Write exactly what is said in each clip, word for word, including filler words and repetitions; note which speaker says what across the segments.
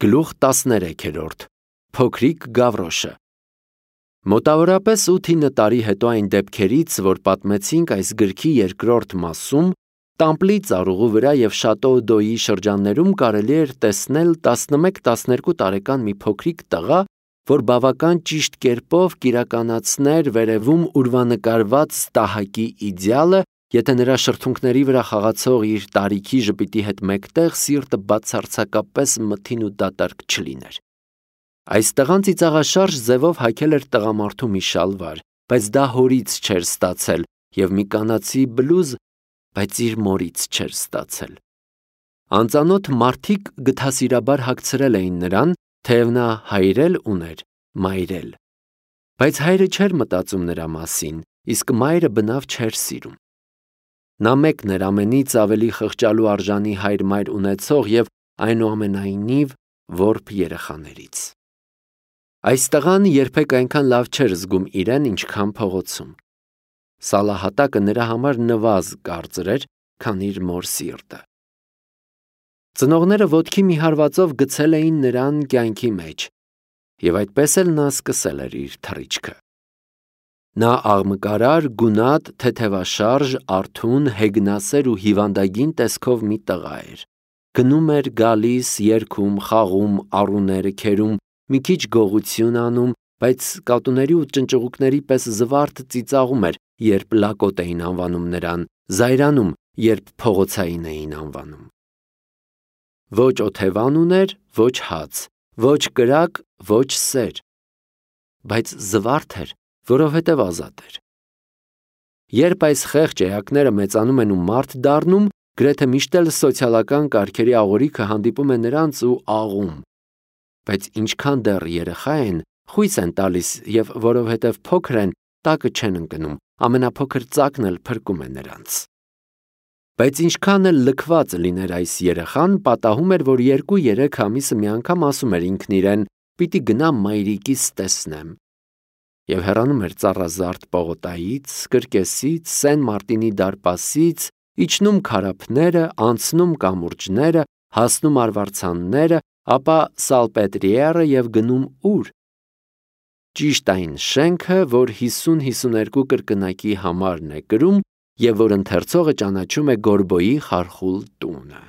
Speaker 1: Գլուխ տասներեքերորդ Փոքրիկ Գավրոշը Մոտավորապես ութ-ինը տարի հետո այն դեպքերից, որ պատմեցինք այս գրքի երկրորդ մասում, Տամպլի ծառուղու վրա և Շատո-Դոյի շրջաններում կարելի էր տեսնել տասնմեկ-տասներկու տարեկան մի փոքրիկ տղա, որ բավական ճիշտ կերպով կիրականացներ վերևում ուրվանկարված ստահակի իդեալը, եթե նրա շրթունքների վրա խաղացող իր տարիքի ժպիտի հետ մեկտեղ սիրտը բացարձակապես մթին ու դատարկ չլիներ։ Այս տղան ծիծաղաշարժ ձևով հագել էր տղամարդու մի շալվար, բայց դա հորից չէր ստացել, և մի կանացի բլուզ, բայց իր մորից չէր ստացել։ Անծանոթ մարդիկ գթասիրաբար հագցրել էին նրան, թեև նա հայր էլ ուներ, մայր էլ։ Բայց հայրը չէր մտածում նրա մասին, իսկ մայրը բնավ չէր սիրում։ Նա մեկն էր ամենից ավելի խղճալու արժանի հայր-մայր ունեցող և այնուամենայնիվ որբ երեխաներից։ Այս տղան երբեք այնքան լավ չէր զգում իրեն, ինչքան փողոցում։ Սալահատակը նրա համար նվազ կարծր էր, քան իր մոր սիրտը։ Ծնողները ոտքի մի հարվածով գցել էին նրան կյանքի մեջ, և այդպես էլ նա սկսել էր իր թռիչքը։ Նա աղմկարար, գունատ, թեթևաշարժ, արթուն, հեգնասեր ու հիվանդագին տեսքով մի տղա էր։ Գնում էր, գալիս, երգում, խաղում, առուները քերում, մի քիչ գողություն անում, բայց կատուների ու ճնճղուկների պես զվարթ ծիծաղում էր, երբ լակոտ էին անվանում նրան, զայրանում, երբ փողոցային էին անվանում։ Ոչ օթևան ուներ, ոչ հաց, ոչ կրակ, ոչ սեր, բայց զվարթ էր, որովհետև ազատ էր։ Երբ այս խեղճ էակները մեծանում են ու մարդ դառնում, գրեթե միշտ էլ սոցիալական կարգերի աղորիքը հանդիպում է նրանց ու աղում։ Բայց ինչքան դեռ երեխա են, խույս են տալիս և որովհետև փոքր են, տակը չեն ընկնում, ամենափոքր ծակն էլ փրկում է նրանց։ Բայց ինչքան էլ լքված լիներ այս երեխան, պատահում էր, որ երկու-երեք ամիսը մի անգամ ասում էր ինքն իրեն. «Պիտի գնամ մայրիկիս տեսնեմ» և հեռանում էր ծառազարդ պողոտայից, կրկեսից, Սեն Մարտինի դարպասից, իջնում քարափները, անցնում կամուրջները, հասնում արվարձանները, ապա Սալպետրիերը և գնում ուր։ Ճիշտ այն շենքը, որ հիսուն-հիսուներկու կրկնակի համարն է կրում և որ ընթերցողը ճանաչում է Գորբոյի խարխուլ տունը։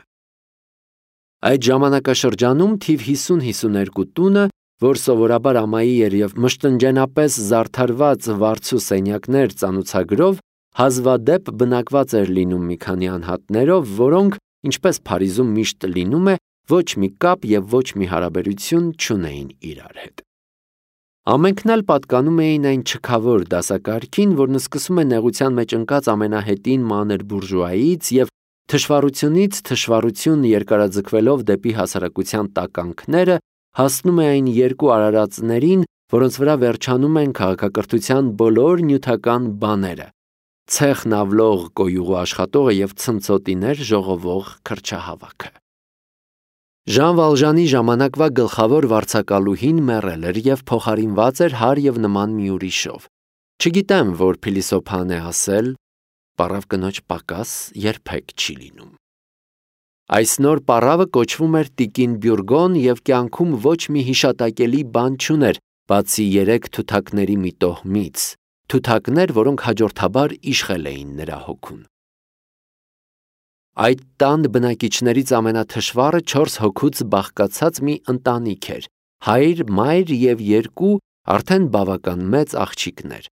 Speaker 1: Այդ ժամանակաշրջանում թիվ հիսուն-հիսուներկու տունը, որ սովորաբար ամայի էր և մշտնջենապես զարդարված վարձու սենյակներ ծանուցագրով, հազվադեպ բնակված էր լինում մի քանի անհատներով, որոնք, ինչպես Փարիզում միշտ լինում է, ոչ մի կապ և ոչ մի հարաբերություն չունեին իրար հետ։ Ամենքն էլ պատկանում էին այն չքավոր դասակարգին, որն սկսում է նեղության մեջ ընկած ամենահետին մանր բուրժուայից և թշվառությունից թշվառություն երկարաձգվելով դեպի հասարակության տականքները, հասնում է այն երկու արարածներին, որոնց վրա վերջանում են քաղաքակրթության բոլոր նյութական բաները՝ ցեխն ավլող կոյուղու աշխատողը և ցնցոտիներ ժողովող քրչահավաքը։ Ժան Վալժանի ժամանակվա գլխավոր վարձակալուհին մեռել էր և փոխարինված էր հարև և նման մի ուրիշով։ Չգիտեմ, որ փիլիսոփան է ասել. «Պառավ կնոջ պակաս երբեք չի լինում»։ Այս նոր պառավը կոչվում էր տիկին Բյուրգոն և կյանքում ոչ մի հիշատակելի բան չուներ, բացի երեք թութակների մի տոհմից, թութակներ, որոնք հաջորդաբար իշխել էին նրա հոգուն։ Այդ տան բնակիչներից ամենաթշվառը չորս հոգուց բաղկացած մի ընտանիք էր՝ հայր, մայր և երկու արդեն բավական մեծ աղջիկներ։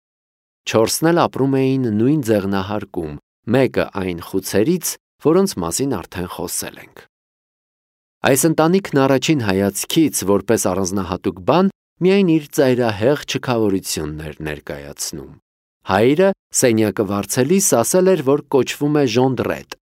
Speaker 1: Չորսն էլ ապրում էին նույն ձեղնահարկում, մեկը այն խուցերից, որոնց մասին արդեն խոսել ենք։ Այս ընտանիքն առաջին հայացքից, որպես առանձնահատուկ բան, միայն իր ծայրահեղ չքավորությունն էր ներկայացնում։ Հայրը սենյակը վարձելիս ասել էր, որ կոչվում է Ժոնդրետ։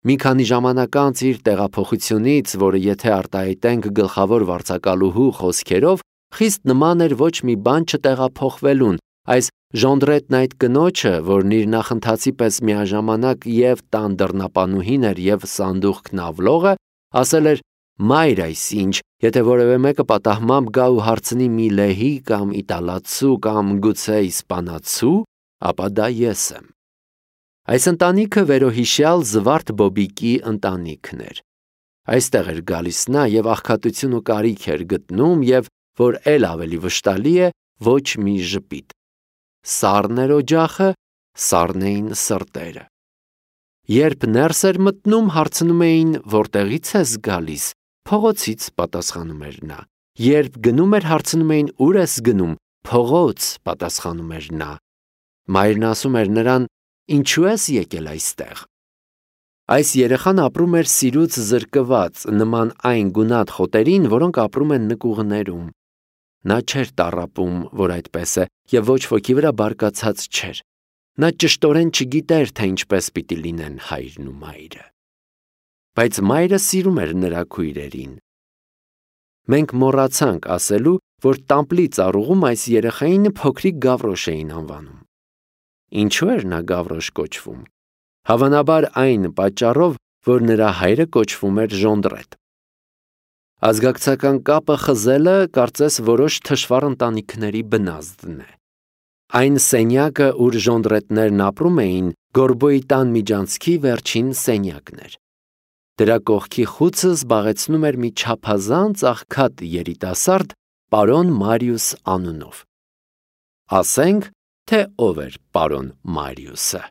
Speaker 1: Մի քանի ժամանակ անց իր տեղափոխությունից, որը եթե արտահայտենք գլխավոր վարձակալուհու խոսքերով, խիստ նման էր ոչ մի բան չտեղափոխվելուն, այս Ժոնդրետն այդ կնոջը, որն իր նախընթացի պես միաժամանակ և տան դռնապանուհին էր և սանդուղքն ավլողը, ասել էր. «Մայր, այսինչ, եթե որևէ մեկը պատահմամբ գա ու հարցնի մի լեհի կամ իտալացու կամ գուցե իսպանացու, ապա դա ես եմ»։ Այս ընտանիքը վերոհիշյալ Զվարթ Բոբիկի ընտանիքն էր։ Այստեղ էր գալիս նա և աղքատություն ու կարիք էր գտնում և, որ էլ ավելի վշտալի է, ոչ մի ժպիտ։ Սառն էր օջախը, սառն էին սրտերը։ Երբ ներս էր մտնում, հարցնում էին, որտեղից ես գալիս, փողոցից, պատասխանում էր նա։ Երբ գնում էր, հարցնում էին, ուր ես գնում, փողոց, պատասխանում էր նա։ Մայրն ասում էր նրան, ինչու ես եկել այստեղ։ Այս երեխան ապրում էր սիրուց զրկված, նման այն գունատ խոտերին, որոնք ապրում են նկուղներում։ Նա չէր տառապում, որ այդպես է, և ոչ ոքի վրա բարկացած չէր։ Նա ճշտորեն չգիտեր, թե ինչպես պիտի լինեն հայրն ու մայրը։ Բայց մայրը սիրում էր նրա քույրերին։ Մենք մոռացանք ասելու, որ Տամպլի ծառուղում այս երեխային փոքրիկ Գավրոշ էին անվանում։ Ինչու էր նա Գավրոշ կոչվում։ Հավանաբար այն պատճառով, որ նրա հայրը կոչվում էր Ժոնդրետ։ Ազգակցական կապը խզելը կարծես որոշ թշվառ ընտանիքների բնազդն է։ Այն սենյակը, ուր ժոնդրետներն ապրում էին, Գորբոյի տան միջանցքի վերջին սենյակն էր։ Դրա կողքի խուցը զբաղեցնում էր մի չափազանց աղքատ երիտասարդ պարոն Մարիուս անունով։ Ասենք, թե ով էր պարոն Մարիուսը։